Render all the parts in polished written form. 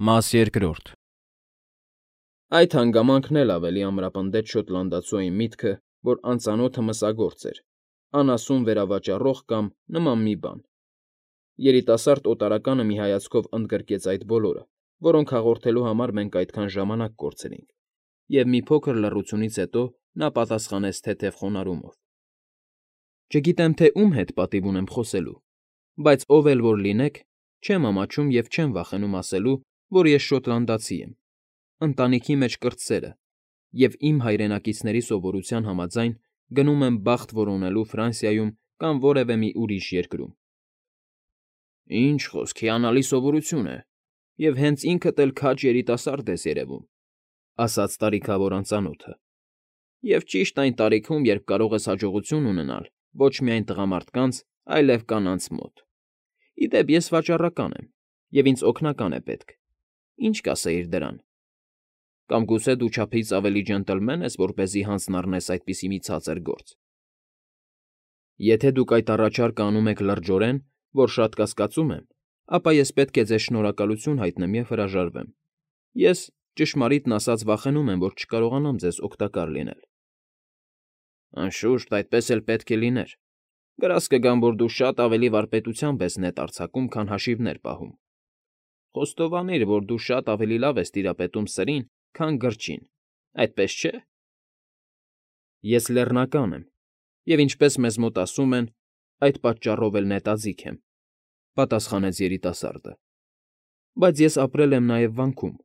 Մաս երկրորդ Այդ հանգամանքն էլ ավելի ամրապնդեց շոտլանդացու այն միտքը, որ անծանոթը մսագործ էր, անասուն վերավաճառող կամ նման մի բան։ Երիտասարդ օտարականը մի հայացքով ընդգրկեց այդ բոլորը, որոնք հաղորդելու համար մենք այդքան ժամանակ կորցրինք, և մի փոքր լռությունից հետո նա պատասխանեց թեթև խոնարհումով. Չգիտեմ, թե ում հետ պատիվ ունեմ խոսելու, բայց ով էլ որ լինեք, չեմ ամաչում և չեմ վախենում ասելու, որ ես շոտլանդացի եմ, ընտանիքի մեջ կրտսերը, և իմ հայրենակիցների սովորության համաձայն գնում եմ բախտ որոնելու Ֆրանսիայում կամ որևէ մի ուրիշ երկրում։ ֊ Ինչ խոսք, հիանալի սովորություն է, և հենց ինքդ էլ քաջ երիտասարդ ես երևում,֊ ասաց տարիքավոր անծանոթը,֊ և ճիշտ այն տարիքում, երբ կարող ես հաջողություն ունենալ ոչ միայն տղամարդկանց, այլև կանանց մոտ։ Ի դեպ, ես վաճառական եմ, և ինձ օգնական է պետք։ Ինչ կասեիր դրան։ Կամ գուցե դու չափից ավելի ջենտլմեն ես, որպեսզի հանձն առնես այդպիսի մի ցածր գործ։ Եթե դուք այդ առաջարկը անում եք լրջորեն, որ շատ կասկածում եմ, ապա ես պետք է ձեզ շնորհակալություն հայտնեմ և հրաժարվեմ։ Ես, ճշմարիտն ասած, վախենում եմ, որ չկարողանամ ձեզ օգտակար լինել։ Անշուշտ, այդպես էլ պետք է լիներ։ Գրազ կգամ, որ դու շատ ավելի վարպետությամբ ես նետ արձակում, քան հաշիվներ պահում։ Խոստովանիր, որ դու շատ ավելի լավ ես տիրապետում սրին, քան գրչին, այդպես չէ՞։ Ես լեռնական եմ, և ինչպես մեզ մոտ ասում են, այդ պատճառով էլ նետաձիգ եմ,֊ պատասխանեց երիտասարդը։ Բայց ես ապրել եմ նաև վանքում,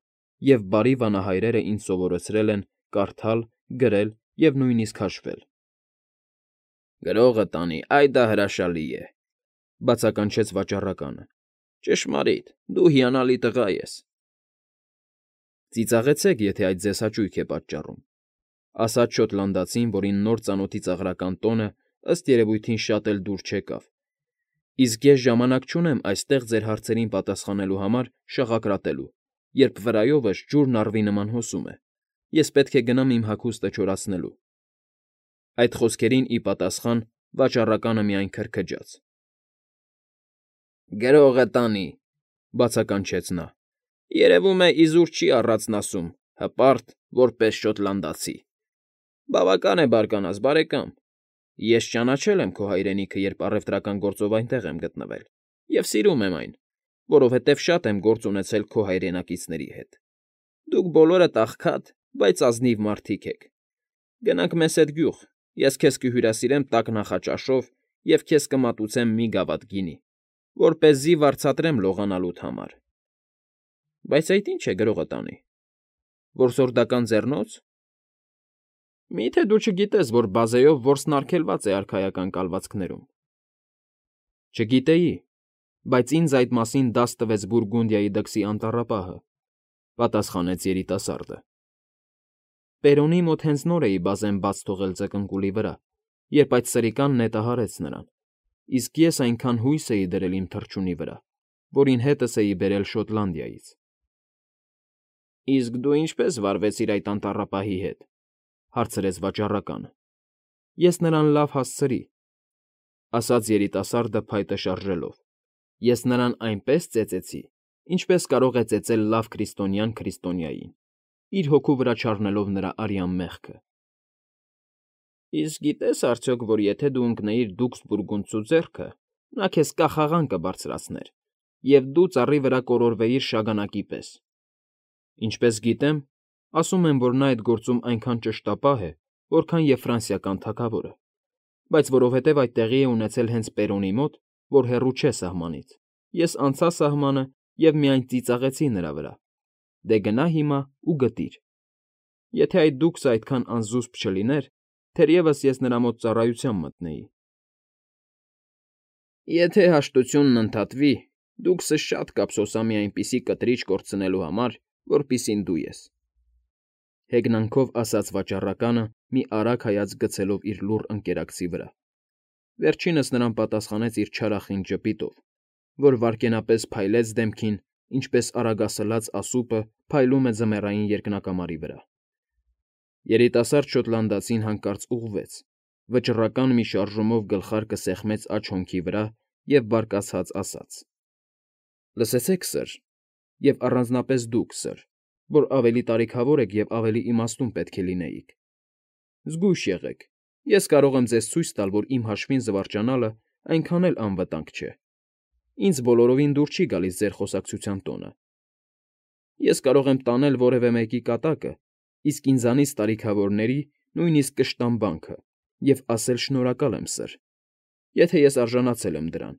և բարի վանահայրերը ինձ սովորեցրել են կարդալ, գրել և նույնիսկ հաշվել։ Գրողը տանի, այ դա հրաշալի է,֊ բացականչեց վաճառականը։ Ճշմարիտ, դու հիանալի տղա ես։ Ծիծաղեցեք, եթե այդ ձեզ հաճույք է պատճառում,֊ ասաց շոտլանդացին, որին նոր ծանոթի ծաղրական տոնը, ըստ երևույթին, շատ էլ դուր չեկավ։ Իսկ ես ժամանակ չունեմ այստեղ ձեր հարցերին պատասխանելու համար շաղակրատելու, երբ վրայովս ջուրն առվի նման հոսում է, ես պետք է գնամ իմ հագուստը չորացնելու։ Այդ խոսքերին ի պատասխան վաճառականը միայն քրքջաց։ Գրողը տանի,֊ բացականչեց նա։ Երևում է, իզուր չի առածն ասում, հպարտ, որպես շոտլանդացի։ Բավական է բարկանաս, բարեկամ։ Ես ճանաչել եմ քո հայրենիքը, երբ առևտրական գործով այնտեղ եմ գտնվել, և սիրում եմ այն, որովհետև շատ եմ գործ ունեցել քո հայրենակիցների հետ։ Դուք բոլորդ աղքատ, բայց ազնիվ մարդիկ եք։ Գնանք մեզ հետ գյուղ, ես քեզ կհյուրասիրեմ տաք նախաճաշով և քեզ կմատուցեմ մի գավաթ գինի, որպեսզի վարձատրեմ լողանալուդ համար։ Բայց այդ ի՞նչ է գրողը տանի։ Որսորդական ձեռնո՞ց։ Մի՞թե դու չգիտես, որ բազեով որսն արգելված է արքայական կալվածքներում։ Չգիտեի, բայց ինձ այդ մասին դաս տվեց Բուրգունդիայի դքսի անտառապահը,֊ պատասխանեց երիտասարդը։ Պերոնի մոտ հենց նոր էի բազեն բաց թողել ձկնկուլի վրա, երբ այդ սրիկան նետը հարեց նրան, իսկ ես այնքան հույս էի դրել իմ թռչունի վրա, որին հետս էի բերել Շոտլանդիայից։ Իսկ դու ինչպե՞ս վարվեցիր այդ անտառապահի հետ,֊ հարցրեց վաճառականը։ Ես նրան լավ հասցրի,֊ ասաց երիտասարդը փայտը շարժելով։ Ես նրան այնպես ծեծեցի, ինչպես կարող է ծեծել լավ քրիստոնյան քրիստոնյային, իր հոգու վրա չառնելով նրա արյան մեղքը։ Իսկ գիտե՞ս արդյոք, որ եթե դու ընկնեիր դուքս բուրգունդցու ձեռքը, նա քեզ կախաղան կբարձրացներ, և դու ծառի վրա կորորվեիր շագանակի պես։ Ինչպես գիտեմ, ասում են, որ նա այդ գործում այնքան ճշտապահ է, որքան և ֆրանսիական թագավորը, բայց որովհետև այդ տեղի է ունեցել հենց Պերոնի մոտ, որ հեռու չէ սահմանից, ես անցա սահմանը և միայն ծիծաղեցի նրա վրա։ Դե գնա հիմա ու գտիր։ Եթե այդ դուքսը այդքան անզուսպ չլիներ, թերևս ես նրա մոտ ծառայության մտնեի։ Եթե հաշտությունն ընդհատվի, դուքսը շատ կափսոսամի այնպիսի կտրիչ կորցնելու համար, որպիսին դու ես,֊ հեգնանքով ասաց վաճառականը, մի արագ հայացք գցելով իր լուռ ընկերակցի վրա։ Վերջինս նրան պատասխանեց իր չարախինդ ժպիտով, որ վայրկենապես փայլեց դեմքին, ինչպես արագասլաց ասուպը փայլում է ձմեռային երկնակամարի վրա։ Երիտասարդ շոտլանդացին հանկարծ ուղղվեց, վճռական մի շարժումով գլխարկը սեղմեց աջ հոնքի վրա և բարկացած ասաց. Լսեցեք, սըր, և առանձնապես դուք, սըր, որ ավելի տարիքավոր եք և ավելի իմաստուն պետք է լինեիք։ Զգույշ եղեք, ես կարող եմ ձեզ ցույց տալ, որ իմ հաշվին զվարճանալը այնքան էլ անվտանգ չէ։ Ինձ բոլորովին դուր չի գալիս ձեր խոսակցության տոնը։ Ես կարող եմ տանել որևէ մեկի կատակը, իսկ ինձանից տարիքավորների նույնիսկ կշտամբանքը և ասել շնորհակալ եմ, սըր, եթե ես արժանացել եմ դրան։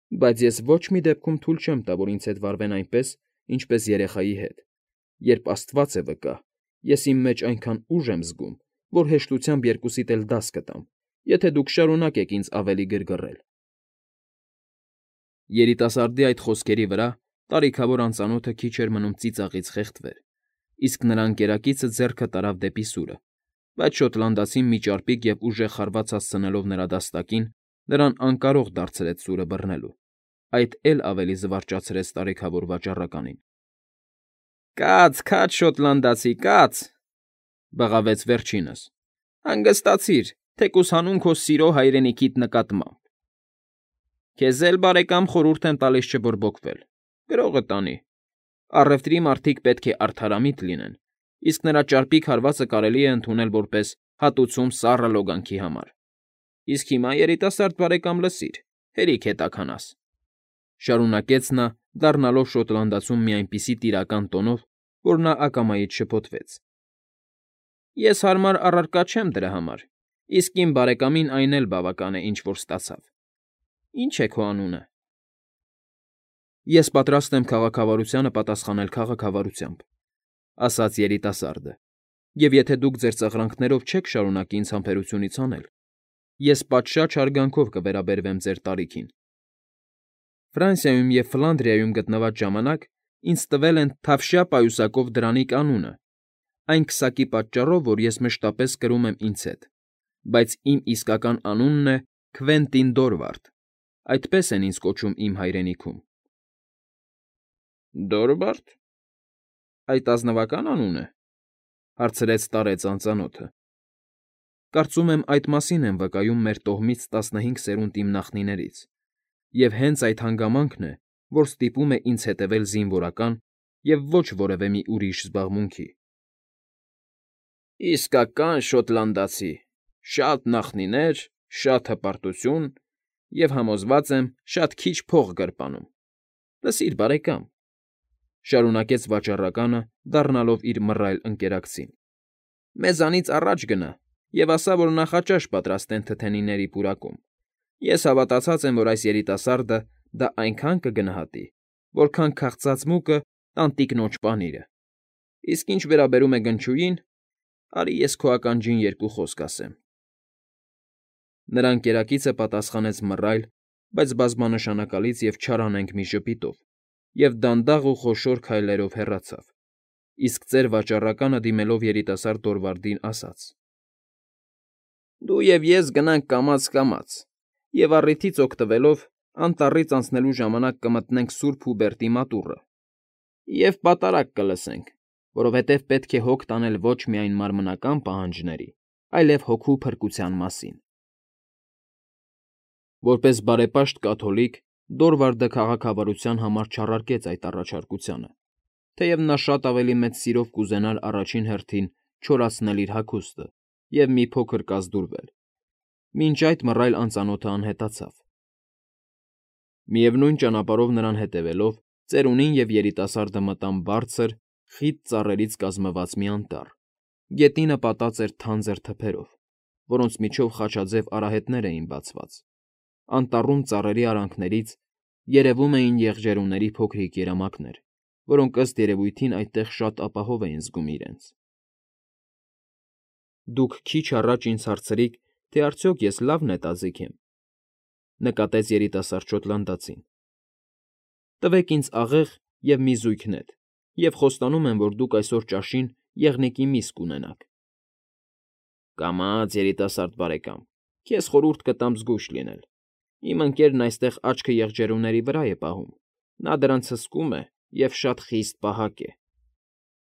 Բայց ես ոչ մի դեպքում թույլ չեմ տա, որ ինձ հետ վարվեն այնպես, ինչպես երեխայի հետ։ Երբ Աստված է վկա, ես իմ մեջ այնքան ուժ եմ զգում, որ հեշտությամբ երկուսիդ էլ դաս կտամ, եթե դուք շարունակեք ինձ ավելի գրգռել։ Երիտասարդի այդ խոսքերի վրա տարիքավոր անծանոթը քիչ էր մնում ծիծաղից խեղդվեր, իսկ նրա ընկերակիցը ձեռքը տարավ դեպի սուրը, բայց շոտլանդացին մի ճարպիկ և ուժեղ խարված հասցնելով նրա դաստակին, նրան անկարող դարձրեց սուրը բռնելու։ Այդ էլ ավելի զվարճացրեց տարիքավոր վաճառականին։ Կաց, քաջ, շոտլանդացի, կաց,֊ բղավեց վերջինս,֊ հանգստացիր, թեկուզ հանուն քո սիրո հայրենիքիդ նկատմամբ։ Քեզ էլ, բարեկամ, խորհուրդ եմ տալիս չբորբոքվել, գրողը տանի։ Առևտրի մարդիկ պետք է արդարամիտ լինեն, իսկ նրա ճարպիկ հարվածը կարելի է ընդունել որպես հատուցում սառը լոգանքի համար։ Իսկ հիմա, երիտասարդ բարեկամ, լսիր, հերիք հետաքանաս,֊ շարունակեց նա, դառնալով շոտլանդացուն մի այնպիսի տիրական տոնով, որ նա ակամայից շփոթվեց։ Ես հարմար առարկա չեմ դրա համար, իսկ իմ բարեկամին այն էլ բավական է, ինչ որ ստացավ։ Ի՞նչ է քո անունը։ Ես պատրաստ եմ քաղաքավարությանը պատասխանել քաղաքավարությամբ,֊ ասաց երիտասարդը,֊ և եթե դուք ձեր ծղրանքներով չեք շարունակի ինձ համբերությունից հանել, ես պատշաճ հարգանքով կվերաբերվեմ ձեր տարիքին։ Ֆրանսիայում և Ֆլանդրիայում գտնված ժամանակ ինձ տվել են թավշյա պայուսակով դրանիկ անունը, այն քսակի պատճառով, որ ես մշտապես կրում եմ ինձ հետ, բայց իմ իսկական անունն է Քվենտին Դորվարդ, այդպես են ինձ կոչում իմ հայրենիքում։ Դորվա՞րդ… Այդ ազնվակա՞ն անուն է,֊ հարցրեց տարեց անծանոթը։ Կարծում եմ, այդ մասին են վկայում մեր տոհմից 15 սերունդ իմ նախնիներից, և հենց այդ հանգամանքն է, որ ստիպում է ինձ հետևել զինվորական և ոչ որևէ մի ուրիշ զբաղմունքի։ Իսկական շոտլանդացի, շատ նախնիներ, շատ հպարտություն և, համոզված եմ, շատ քիչ փող գրպանում։ Լսիր, բարեկամ,֊ շարունակեց վաճառականը, դառնալով իր մռայլ ընկերակցին,֊ մեզանից առաջ գնա և ասա, որ նախաճաշ պատրաստեն թթենիների պուրակում։ Ես հավատացած եմ, որ այս երիտասարդը դա այնքան կգնահատի, որքան քաղցած մուկը տանտիկնոջ պանիրը։ Իսկ ինչ վերաբերում է գնչուին, արի ես քո ականջին երկու խոսք ասեմ։ Նրա ընկերակիցը պատասխանեց մռայլ, բայց բազմանշանակալից և չարանենգ մի ժպիտով և դանդաղ ու խոշոր քայլերով հեռացավ, իսկ ծեր վաճառականը դիմելով երիտասարդ Դորվարդին ասաց. Դու և ես գնանք կամաց֊կամաց և, առիթից օգտվելով, անտառից անցնելու ժամանակ կմտնենք Սուրբ Հուբերտի մատուռը և պատարագ կլսենք, որովհետև պետք է հոգ տանել ոչ միայն մարմնական պահանջների, այլև հոգու փրկության մասին։ Որպես բարեպաշտ կաթոլիկ Դորվարդը քաղաքավարության համար չառարկեց այդ առաջարկությանը, թեև նա շատ ավելի մեծ սիրով կուզենար առաջին հերթին չորացնել իր հագուստը և մի փոքր կազդուրվել։ Մինչ այդ մռայլ անծանոթը անհետացավ։ Միևնույն ճանապարհով նրան հետևելով, ծերունին և երիտասարդը մտան բարձր, խիտ ծառերից կազմված մի անտառ։ Գետինը պատած էր թանձր թփերով, որոնց միջով խաչաձև արահետներ էին բացված։ Անտառում ծառերի արանքներից երևում էին եղջերուների փոքրիկ երամակներ, որոնք ըստ երևույթին այդտեղ շատ ապահով էին զգում իրենց։ Դուք քիչ առաջ ինձ հարցրիք, թե արդյոք ես լավ նետաձիգ եմ,֊ նկատեց երիտասարդ շոտլանդացին։ Տվեք ինձ աղեղ և մի զույգ նետ, և խոստանում եմ, որ դուք այսօր ճաշին եղնիկի միս կունենաք։ Կամաց, երիտասարդ բարեկամ, քեզ խորհուրդ կտամ զգույշ լինել։ Իմ ընկերն այստեղ աչքը եղջերուների վրա է պահում, նա դրանց հսկում է և շատ խիստ պահակ է։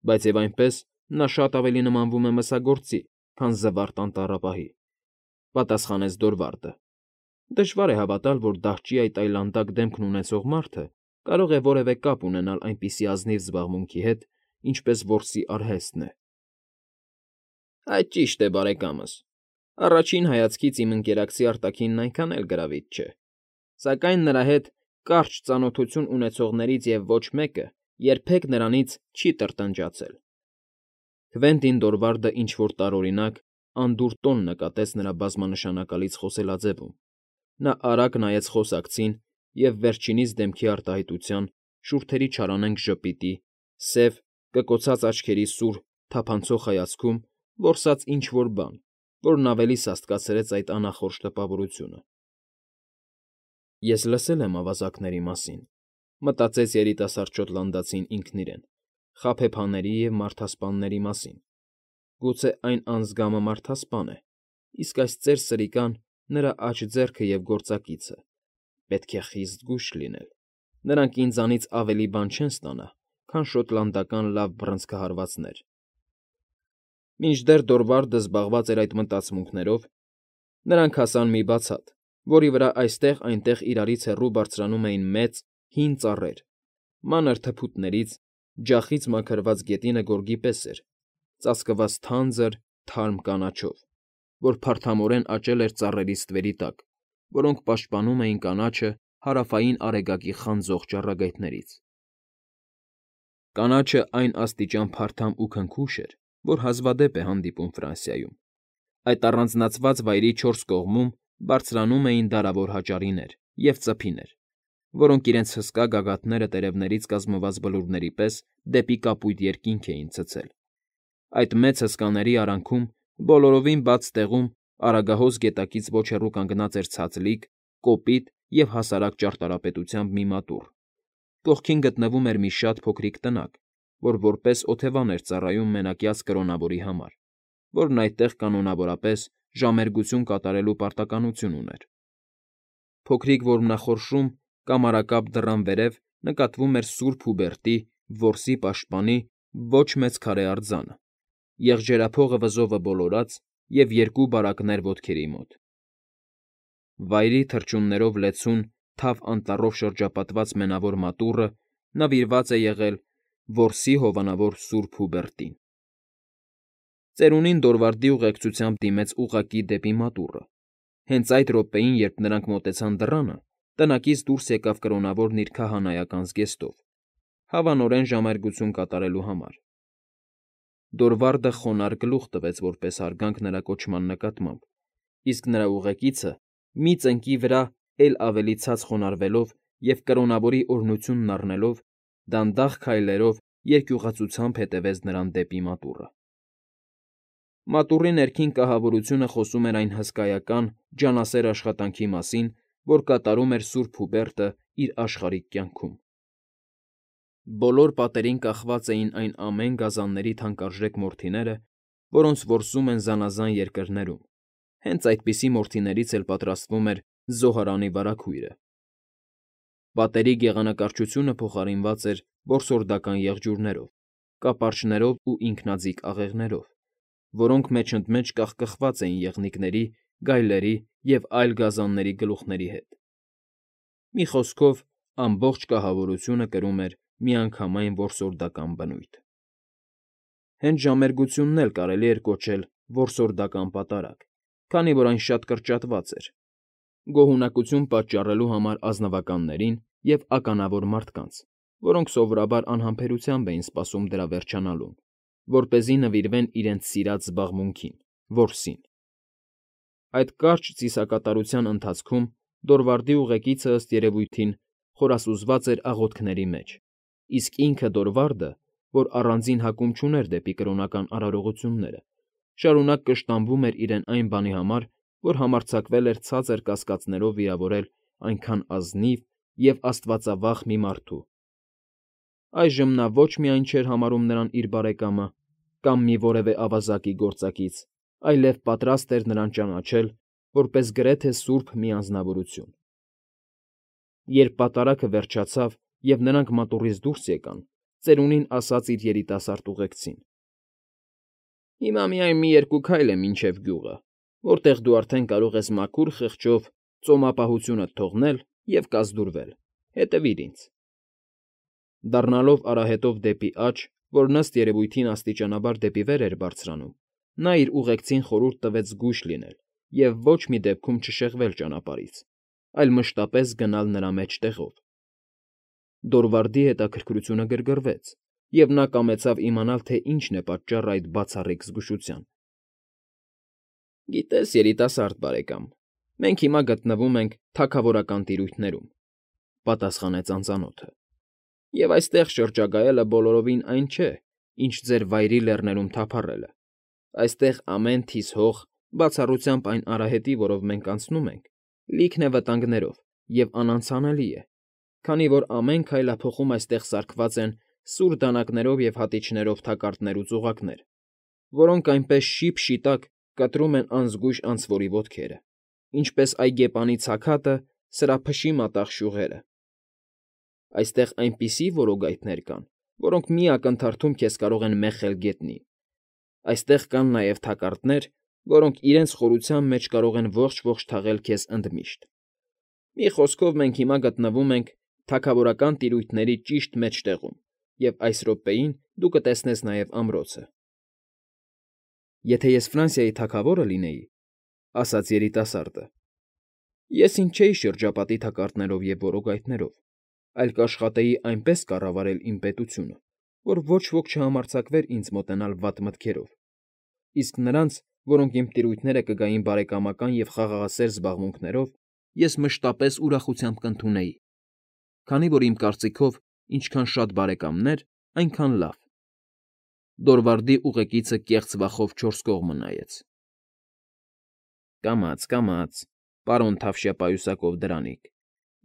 Բայց և այնպես նա շատ ավելի նմանվում է մսագործի, քան զվարթ անտառապահի,֊ պատասխանեց Դորվարդը։ Դժվար է հավատալ, որ դահճի այդ այլանդակ դեմքն ունեցող մարդը կարող է որևէ կապ ունենալ այնպիսի ազնիվ զբաղմունքի հետ, ինչպես որսի արհեստն է։ Այդ ճիշտ է, բարեկամս։ Առաջին հայացքից իմ ընկերակցի արտաքինն այնքան էլ գրավիչ չէ, սակայն նրա հետ կարճ ծանոթություն ունեցողներից և ոչ մեկը երբեք նրանից չի տրտնջացել։ Քվենտին Դորվարդը ինչ֊որ տարօրինակ, անդուր տոն նկատեց նրա բազմանշանակալից խոսելաձևում. նա արագ նայեց խոսակցին և վերջինիս դեմքի արտահայտության, շուրթերի չարանենգ ժպիտի, սև, կկոցած աչքերի սուր, թափանցող հայացքում որսաց ինչ֊որ բան, որն ավելի սաստկացրեց այդ անախորժ տպավորությունը։ «Ես լսել եմ ավազակների մասին,֊ մտածեց երիտասարդ շոտլանդացին ինքն իրեն,֊ խաբեբաների և մարդասպանների մասին։ Գուցե այն անձգամը մարդասպան է, իսկ այս ծեր սրիկան նրա աջ ձեռքը և գործակիցը. պետք է խիստ զգույշ լինել, նրանք ինձանից ավելի բան չեն ստանա, քան շոտլանդական լավ բռնցքահարվածներ»։ Մինչդեռ Դորվարդը զբաղված էր այդ մտածմունքներով, նրանք հասան մի բացատ, որի վրա այստեղ֊այնտեղ իրարից հեռու բարձրանում էին մեծ, հին ծառեր, մանր թփուտներից, ջախից մաքրված գետինը գորգի պես էր, ծածկված թանձր, թարմ կանաչով, որ փարթամորեն աճել էր ծառերի ստվերի տակ, որոնք պաշտպանում էին կանաչը հարավային արեգակի խանձող ճառագայթներից։ Կանաչը այն աստիճան փարթամ ու քնքուշ էր, որ հազվադեպ է հանդիպում Ֆրանսիայում։ Այդ առանձնացված վայրի չորս կողմում բարձրանում էին դարավոր հաճարիներ և ծփիներ, որոնք իրենց հսկա գագաթները տերևներից կազմված բլուրների պես դեպի կապույտ երկինք էին ցցել։ Այդ մեծ հսկաների արանքում, բոլորովին բաց տեղում Արագահոս գետակից ոչ հեռու կանգնած էր ցածլիկ, կոպիտ և հասարակ ճարտարապետությամբ մի մատուռ։ Կողքին գտնվում էր մի շատ փոքրիկ տնակ, որ որպես օթևան էր ծառայում մենակյաց կրոնավորի համար, որն այդտեղ կանոնավորապես ժամերգություն կատարելու պարտականություն ուներ։ Փոքրիկ որմնախորշում, կամարակապ դռան վերև նկատվում էր Սուրբ Հուբերտի՝ որսի պաշտպանի, ոչ մեծ քարե արձանը, եղջերափողը վզովը բոլորած և երկու բարակներ ոտքերի մոտ։ Վայրի թռչուններով լեցուն, թավ անտառով շրջապատված մենավոր մատուռը նվիրված է եղել որսի հովանավոր Սուրբ Հուբերտին։ Ծերունին Դորվարդի ուղեկցությամբ դիմեց ուղղակի դեպի մատուռը։ Հենց այդ րոպեին, երբ նրանք մոտեցան դռանը, տնակից դուրս եկավ կրոնավորն իր քահանայական զգեստով, հավանորեն ժամերգություն կատարելու համար։ Դորվարդը խոնարհ գլուխ տվեց որպես հարգանք նրա կոչման նկատմամբ, իսկ նրա ուղեկիցը, մի ծնկի վրա էլ ավելի ցած խոնարհվելով և կրոնավորի օրհնությունն առնելով, դանդաղ քայլերով երկյուղացությամբ հետևեց նրան դեպի մատուռը։ Մատուռի ներքին կահավորությունը խոսում էր այն հսկայական, ջանասեր աշխատանքի մասին, որ կատարում էր Սուրբ Հուբերտը իր աշխարհիկ կյանքում։ Բոլոր պատերին կախված էին այն ամեն գազանների թանկարժեք մորթիները, որոնց որսում են զանազան երկրներում, հենց այդպիսի մորթիներից էլ պատրաստվում էր զոհարանի վարագույրը։ Պատերի գեղանկարչությունը փոխարինված էր որսորդական եղջյուրներով, կապարճներով ու ինքնաձիգ աղեղներով, որոնք մեջընդմեջ կախկխված էին եղնիկների, գայլերի և այլ գազանների գլուխների հետ։ Մի խոսքով, ամբողջ կահավորությունը կրում էր միանգամայն որսորդական բնույթ։ Հենց ժամերգությունն էլ կարելի էր կոչել որսորդական պատարագ, քանի որ այն շատ կրճատված էր՝ գոհունակություն պատճառելու համար ազնվականներին և ականավոր մարդկանց, որոնք սովորաբար անհամբերությամբ էին սպասում դրա վերջանալուն, որպեսզի նվիրվեն իրենց սիրած զբաղմունքին՝ որսին։ Այդ կարճ ծիսակատարության ընթացքում Դորվարդի ուղեկիցը, ըստ երևույթին, խորասուզված էր աղոթքների մեջ, իսկ ինքը Դորվարդը, որ առանձին հակում չուներ դեպի կրոնական արարողությունները, շարունակ կշտամբում էր իրեն այն բանի համար, որ համարձակվել էր ցածր կասկածներով վիրավորել այնքան ազնիվ և աստվածավախ մի մարդու։ Այժմ նա ոչ միայն չէր համարում նրան իր բարեկամը կամ մի որևէ ավազակի գործակից, այլև պատրաստ էր նրան ճանաչել որպես գրեթե սուրբ մի անձնավորություն։ Երբ պատարագը վերջացավ և նրանք մատուռից դուրս եկան, ծերունին ասաց իր երիտասարդ ուղեկցին. «Հիմա միայն մի երկու քայլ է մինչև գյուղը, որտեղ դու արդեն կարող ես մաքուր խղճով ծոմապահությունդ թողնել և կազդուրվել, հետևիր ինձ»։ Դառնալով արահետով դեպի աջ, որ ըստ երևույթին աստիճանաբար դեպի վեր էր բարձրանում, նա իր ուղեկցին խորհուրդ տվեց զգույշ լինել և ոչ մի դեպքում չշեղվել ճանապարհից, այլ մշտապես գնալ նրա մեջտեղով։ Դորվարդի հետաքրքրությունը գրգռվեց, և նա կամեցավ իմանալ, թե ինչն է պատճառը այդ բացառիկ զգուշության։ «Գիտես, երիտասարդ բարեկամ, մենք հիմա գտնվում ենք թագավորական տիրույթներում,֊ պատասխանեց անծանոթը,֊ և այստեղ շրջագայելը բոլորովին այն չէ, ինչ ձեր Վայրի Լեռներում թափառելը. այստեղ ամեն թիզ հող, բացառությամբ այն արահետի, որով մենք անցնում ենք, լիքն է վտանգներով և անանցանելի է, քանի որ ամեն քայլափոխում այստեղ սարքված են սուր դանակներով և հատիչներով թակարդներ ու ծուղակներ, որոնք այնպես շիփ֊շիտակ կտրում են անզգույշ անցվորի ոտքերը, ինչպես այգեպանի ցաքատը սրափշի մատաղ շյուղերը։ Այստեղ այնպիսի որոգայթներ կան, որոնք մի ակնթարթում քեզ կարող են մեղել գետնին։ Այստեղ կան նաև թակարդներ, որոնք իրենց խորության մեջ կարող են ողջ թաղել քեզ ընդմիշտ։ Մի խոսքով, մենք հիմա գտնվում ենք թագավորական տիրույթների ճիշտ մեջտեղում, և այս րոպեին դու կտեսնես նաև ամրոցը»։ «Եթե ես Ֆրանսիայի թագավորը լինեի,֊ ասաց երիտասարդը,֊ ես ինձ չէի շրջապատի թակարդներով և որոգայթներով, այլ կաշխատեի այնպես կառավարել իմ պետությունը, որ ոչ ոք չհամարձակվեր ինձ մոտենալ վատ մտքերով, իսկ նրանց, որոնք իմ տիրույթները կգային բարեկամական և խաղաղասեր զբաղմունքներով, ես մշտապես ուրախությամբ կընդունեի, քանի որ իմ կարծիքով ինչքան շատ բարեկամներ, այնքան լավ»։ Դորվարդի ուղեկիցը կեղծ վախով չորս կողմը նայեց։ Կամաց, պարոն Թավշյա պայուսակով դրանիկ,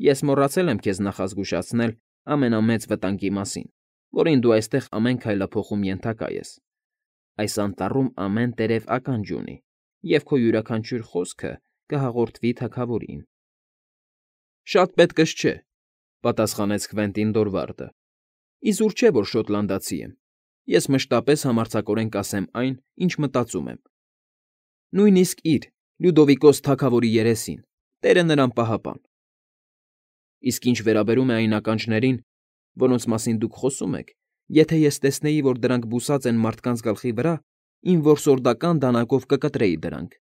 ես մոռացել եմ քեզ նախազգուշացնել ամենամեծ վտանգի մասին, որին դու այստեղ ամեն քայլափոխում ենթակա ես։ Այս անտառում ամեն տերև ականջ ունի, և քո յուրաքանչյուր խոսքը կհաղորդվի թագավորին։ «Շատ պետքս չէ,֊ պատասխանեց Քվենտին Դորվարդը,֊ իզուր չէ, որ շոտլանդացի եմ, ես մշտապես համարձակորեն կասեմ այն, ինչ մտածում եմ։ Նույնիսկ իր՝ Լյուդովիկոս թագավորի երեսին, Տերը նրան պահապան։ Իսկ ինչ վերաբերում է այն ականջներին, որոնց մասին դուք խոսում եք, եթե ես տեսնեի, որ դրանք բուսած են մարդկանց գլխի վրա, իմ որսորդական դանակով կկտրեի դրանք։